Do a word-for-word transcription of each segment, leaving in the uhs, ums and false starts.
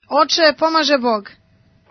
Oče, pomaže Bog.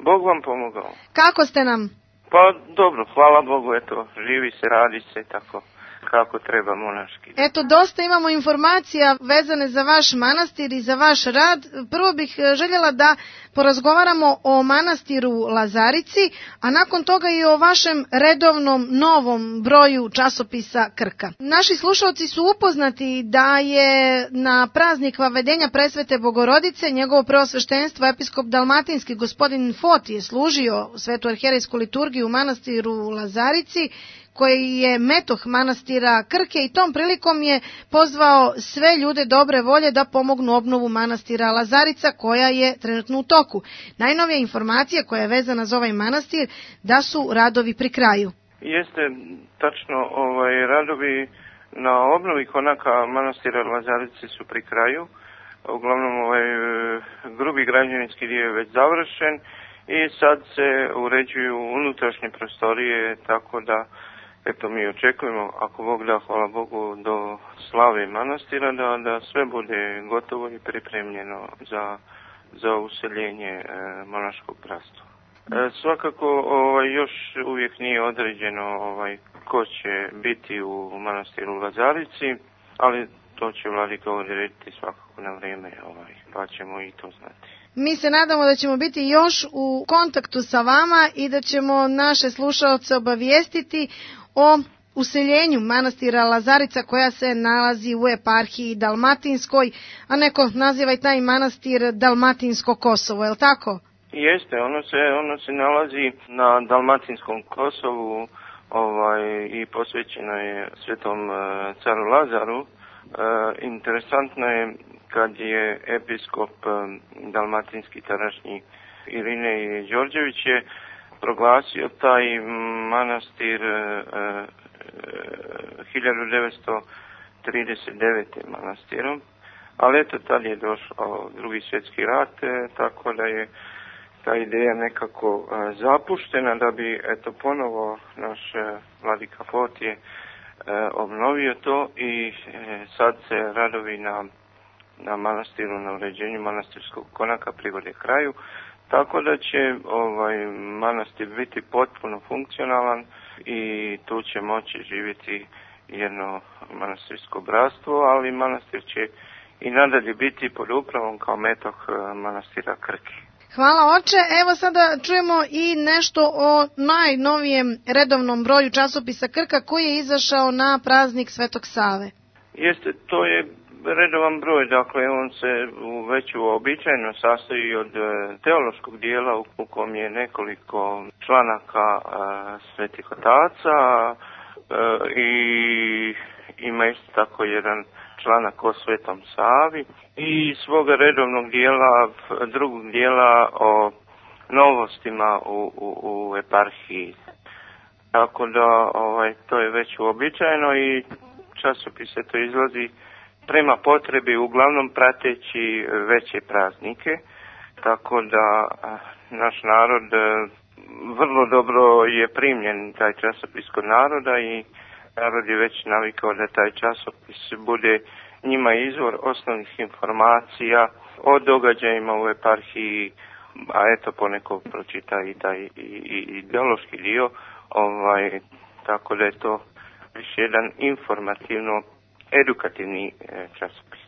Bog vam pomogao. Kako ste nam? Pa dobro, hvala Bogu, eto, živi se, radi se tako kako treba monaški. Eto, dosta imamo informacija vezane za vaš manastir i za vaš rad. Prvo bih željela da porazgovaramo o manastiru Lazarici, a nakon toga i o vašem redovnom novom broju časopisa Krka. Naši slušalci su upoznati da je na praznik Vavedenja Presvete Bogorodice njegovo preosveštenstvo episkop dalmatinski gospodin Fot je služio svetu arhijerejsku liturgiju u manastiru Lazarici, koji je metoh manastira Krke, i tom prilikom je pozvao sve ljude dobre volje da pomognu obnovu manastira Lazarica, koja je trenutno u toku. Najnovija informacija koja je vezana za ovaj manastir da su radovi pri kraju. Jeste, tačno, ovaj, radovi na obnovi konaka manastira Lazarice su pri kraju. Uglavnom ovaj grubi građevinski dio je već završen i sad se uređuju unutrašnje prostorije, tako da eto, mi očekujemo, ako Bog da, hvala Bogu, do slave manastira, da, da sve bude gotovo i pripremljeno za, za useljenje e, monaškog bratstva. E, svakako, ovaj, još uvijek nije određeno ovaj, ko će biti u manastiru Lazarici, ali to će vladika odrediti svakako na vrijeme, ovaj, pa ćemo i to znati. Mi se nadamo da ćemo biti još u kontaktu sa vama i da ćemo naše slušaoce obavijestiti o useljenju manastira Lazarica, koja se nalazi u eparhiji Dalmatinskoj, a neko naziva i taj manastir Dalmatinsko Kosovo, je li tako? Jeste, ono se, ono se nalazi na Dalmatinskom Kosovu, ovaj, i posvećeno je svetom uh, caru Lazaru. Uh, interesantno je kad je episkop um, dalmatinski tadašnji Irinej Đorđević je proglasio taj manastir uh, hiljadu devetsto trideset devete. manastirom, ali eto tad je došao drugi svjetski rat, tako da je ta ideja nekako uh, zapuštena, da bi eto ponovo naš uh, vladika Fot je uh, obnovio to i uh, sad se radovi na, na manastiru, na uređenju manastirskog konaka privode kraju. Tako da će ovaj manastir biti potpuno funkcionalan i tu će moći živjeti jedno manastirsko bratstvo, ali manastir će i nadalje biti pod upravom kao metoh manastira Krke. Hvala oče, evo sada čujemo i nešto o najnovijem redovnom broju časopisa Krka koji je izašao na praznik Svetog Save. Jeste, to je redovan broj, dakle on se već uobičajeno sastoji od teološkog dijela u kom je nekoliko članaka svetih otaca i ima isto tako jedan članak o Svetom Savi i svoga redovnog dijela, drugog dijela o novostima u, u, u eparhiji. Tako da ovaj, to je već uobičajeno i časopis to izlazi prema potrebi, uglavnom prateći veće praznike, tako da naš narod vrlo dobro je primljen taj časopis kod naroda i narod je već navikao da taj časopis bude njima izvor osnovnih informacija o događajima u eparhiji, a eto poneko pročita i taj i, i, ideološki dio, ovaj, tako da je to više jedan informativno edukativni časopis.